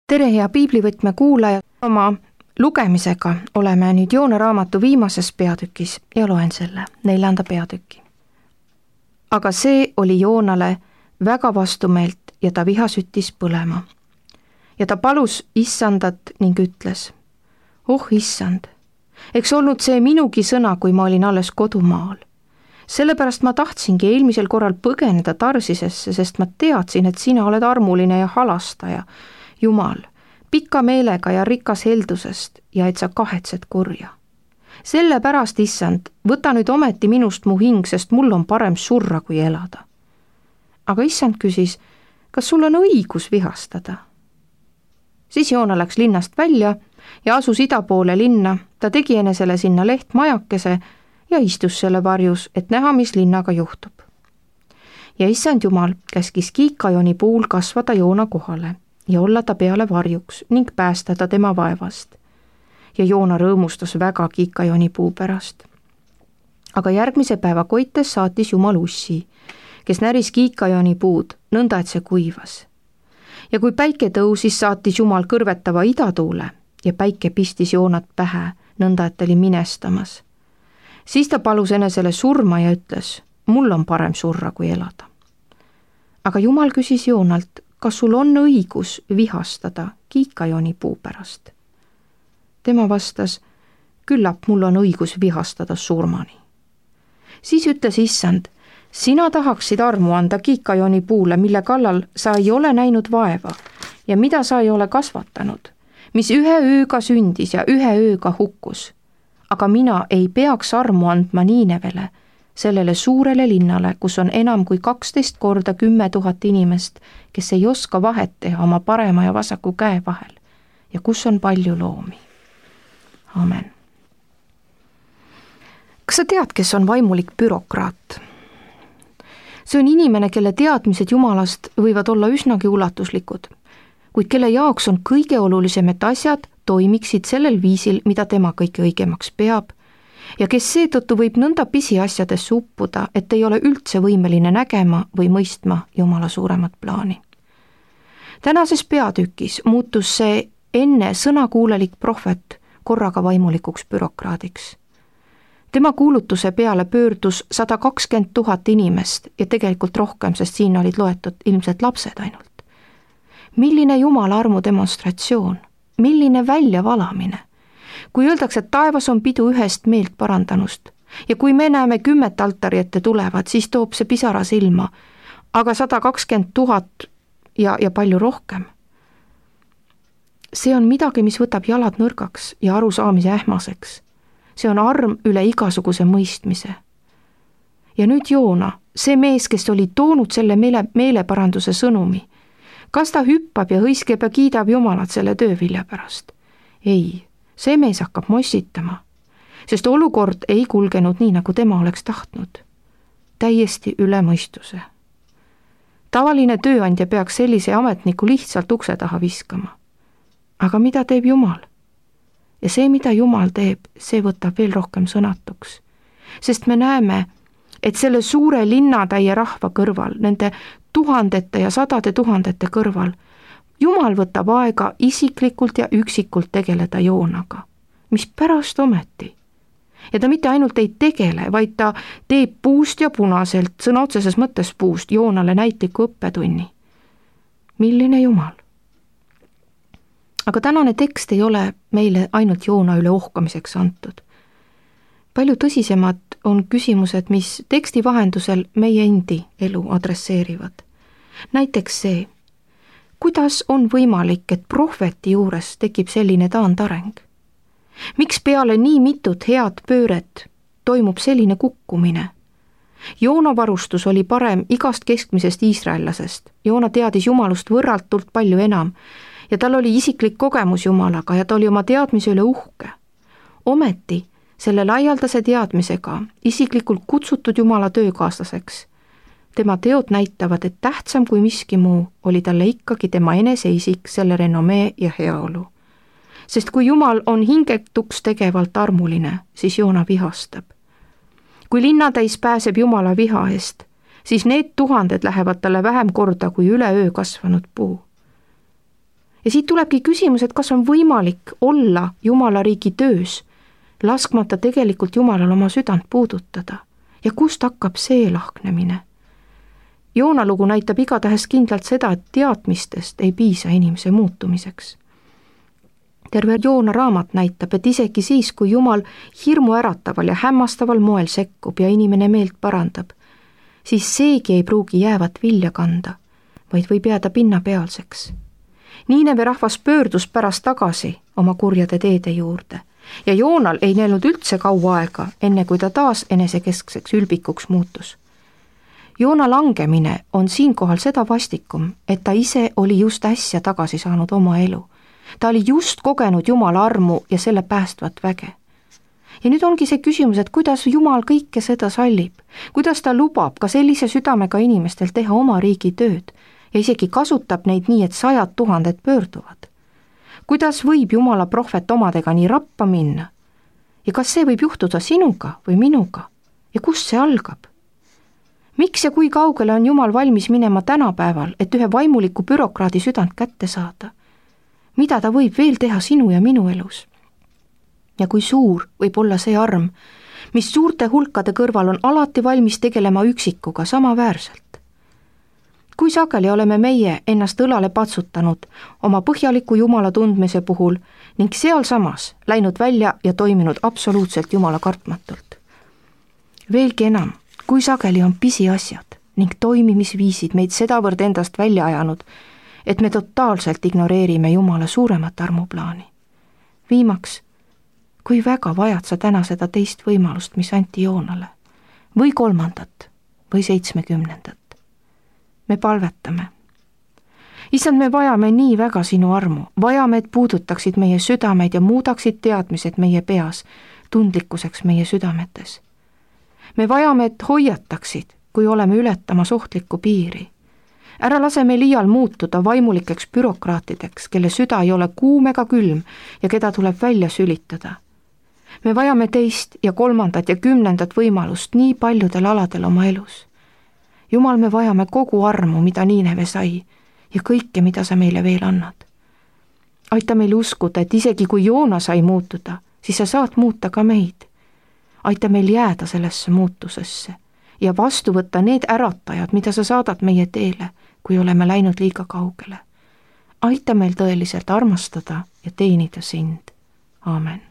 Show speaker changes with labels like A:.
A: tere, hea piiblivõtme kuulaja, oma lugemisega oleme nüüd Joona raamatu viimases peatükis ja loen selle 4. peatüki. Aga see oli Joonale väga vastumeelt ja ta viha süttis põlema. Ja ta palus issandat ning ütles, oh issand, eks olnud see minugi sõna, kui ma olin alles kodumaal. Sellepärast ma tahtsingi eelmisel korral põgeneda Tarsisesse, sest ma teadsin, et sina oled armuline ja halastaja, Jumal, pikka meelega ja rikas heldusest ja et sa kahetsed kurja. Sellepärast, issand, võta nüüd ometi minust mu hing, sest mul on parem surra kui elada. Aga issand küsis, kas sul on õigus vihastada? Siis Joona läks linnast välja ja asus ida poole linna, ta tegi enesele sinna lehtmajakese ja istus selle varjus, et näha, mis linnaga juhtub. Ja issand Jumal käskis kiikajoni puul kasvada Joona kohale ja olla ta peale varjuks ning päästa ta tema vaevast. Ja Joona rõõmustas väga kiikajoni puu pärast. Aga järgmise päeva koites saatis Jumal ussi, kes näris kiikajoni puud, nõnda et see kuivas. Ja kui päike tõusis, saatis Jumal kõrvetava idatuule ja päike pistis Joonat pähe, nõnda et ta oli minestamas. Siis ta palus enesele surma ja ütles, mul on parem surra kui elada. Aga Jumal küsis Joonalt, kas sul on õigus vihastada kiikajoni puu pärast? Tema vastas, küllap mul on õigus vihastada surmani. Siis ütles issand, sina tahaksid armu anda kiikajoni puule, mille kallal sa ei ole näinud vaeva ja mida sa ei ole kasvatanud, mis ühe ööga sündis ja ühe ööga hukkus. Aga mina ei peaks armu andma Niinevele, sellele suurele linnale, kus on enam kui 12 korda 10 000 inimest, kes ei oska vahet teha oma parema ja vasaku käe vahel ja kus on palju loomi. Amen. Kas sa tead, kes on vaimulik bürokraat? See on inimene, kelle teadmised Jumalast võivad olla üsnagi ulatuslikud, kuid kelle jaoks on kõige olulisem, et asjad toimiksid sellel viisil, mida tema kõige õigemaks peab, ja kes seetõttu võib nõnda pisiasjadesse uppuda, et ei ole üldse võimeline nägema või mõistma Jumala suuremat plaani. Tänases peatükis muutus see enne sõnakuulelik prohvet korraga vaimulikuks bürokraadiks. Tema kuulutuse peale pöördus 120 000 inimest ja tegelikult rohkem, sest siin olid loetud ilmselt lapsed ainult. Milline Jumala armu demonstratsioon, milline väljavalamine. Kui öeldakse, et taevas on pidu ühest meelt parandanust ja kui me näeme 10 altari ette tulevad, siis toob see pisara silma, aga 120 000 ja palju rohkem. See on midagi, mis võtab jalad nõrgaks ja arusaamise ähmaseks. See on arm üle igasuguse mõistmise. Ja nüüd Joona, see mees, kes oli toonud selle meeleparanduse sõnumi, kas ta hüppab ja hõiskeb ja kiidab Jumalat selle töövilja pärast? Ei, see mees hakkab mossitama, sest olukord ei kulgenud nii, nagu tema oleks tahtnud. Täiesti üle mõistuse. Tavaline tööandja peaks sellise ametniku lihtsalt ukse taha viskama. Aga mida teeb Jumal? Ja see, mida Jumal teeb, see võtab veel rohkem sõnatuks. Sest me näeme, et selle suure linnatäie rahva kõrval, nende tuhandete ja sadade tuhandete kõrval, Jumal võtab aega isiklikult ja üksikult tegeleda Joonaga. Mis pärast ometi? Ja ta mitte ainult ei tegele, vaid ta teeb puust ja punaselt, sõna otseses mõttes puust, Joonale näitliku õppetunni. Milline Jumal? Aga tänane tekst ei ole meile ainult Joona üle ohkamiseks antud. Palju tõsisemad on küsimused, mis teksti vahendusel meie endi elu adresseerivad. Näiteks see, kuidas on võimalik, et prohveti juures tekib selline taandareng? Miks peale nii mitut head pööret toimub selline kukkumine? Joona varustus oli parem igast keskmisest iisraellasest. Joona teadis Jumalust võrratult palju enam ja tal oli isiklik kogemus Jumalaga ja ta oli oma teadmise üle uhke. Ometi selle laialdase teadmisega isiklikult kutsutud Jumala töökaaslaseks. Tema teod näitavad, et tähtsam kui miski muu oli talle ikkagi tema eneseisik, selle renomee ja heaolu. Sest kui Jumal on hingetuks tegevalt armuline, siis Joona vihastab. Kui linnatäis pääseb Jumala viha eest, siis need tuhanded lähevad talle vähem korda kui üle öö kasvanud puu. Ja siit tulebki küsimus, et kas on võimalik olla Jumala riigi töös, laskmata tegelikult Jumalal oma südant puudutada. Ja kust hakkab see lahknemine? Joona lugu näitab igatahes kindlalt seda, et teadmistest ei piisa inimese muutumiseks. Terve Joona raamat näitab, et isegi siis, kui Jumal hirmu ärataval ja hämmastaval moel sekkub ja inimene meelt parandab, siis seegi ei pruugi jäävat vilja kanda, vaid võib jääda pinnapealseks. Niineve rahvas pöördus pärast tagasi oma kurjade teede juurde ja Joonal ei näinud üldse kaua aega, enne kui ta taas enesekeskseks ülbikuks muutus. Joona langemine on siinkohal seda vastikum, et ta ise oli just äsja tagasi saanud oma elu. Ta oli just kogenud Jumala armu ja selle päästvat väge. Ja nüüd ongi see küsimus, et kuidas Jumal kõike seda sallib, kuidas ta lubab ka sellise südamega inimestel teha oma riigi tööd ja isegi kasutab neid nii, et 100 000 pöörduvad. Kuidas võib Jumala prohvet omadega nii rappa minna? Ja kas see võib juhtuda sinuga või minuga? Ja kust see algab? Miks ja kui kaugele on Jumal valmis minema tänapäeval, et ühe vaimuliku bürokraadi südant kätte saada? Mida ta võib veel teha sinu ja minu elus? Ja kui suur võib olla see arm, mis suurte hulkade kõrval on alati valmis tegelema üksikuga samaväärselt? Kui sageli oleme meie ennast õlale patsutanud oma põhjaliku Jumala tundmise puhul ning sealsamas läinud välja ja toiminud absoluutselt Jumala kartmatult? Veelgi enam, kui sageli on pisiasjad ning toimimisviisid meid sedavõrd endast välja ajanud, et me totaalselt ignoreerime Jumala suuremat armuplaani. Viimaks, kui väga vajad sa täna seda teist võimalust, mis anti Joonale, või 3. või 70. Me palvetame. Issand, me vajame nii väga sinu armu, vajame, et puudutaksid meie südameid ja muudaksid teadmised meie peas tundlikkuseks meie südametes. Me vajame, et hoiataksid, kui oleme ületamas ohtlikku piiri. Ära lase meil iial muutuda vaimulikeks bürokraatideks, kelle süda ei ole kuum ega külm ja keda tuleb välja sülitada. Me vajame 2. ja 3. ja 10. võimalust nii paljudel aladel oma elus. Jumal, me vajame kogu armu, mida Niineve sai ja kõike, mida sa meile veel annad. Aita meil uskuda, et isegi kui Joona sai muutuda, siis sa saad muuta ka meid. Aita meil jääda sellesse muutusesse ja vastu võtta need äratajad, mida sa saadad meie teele, kui oleme läinud liiga kaugele. Aita meil tõeliselt armastada ja teenida sind. Aamen.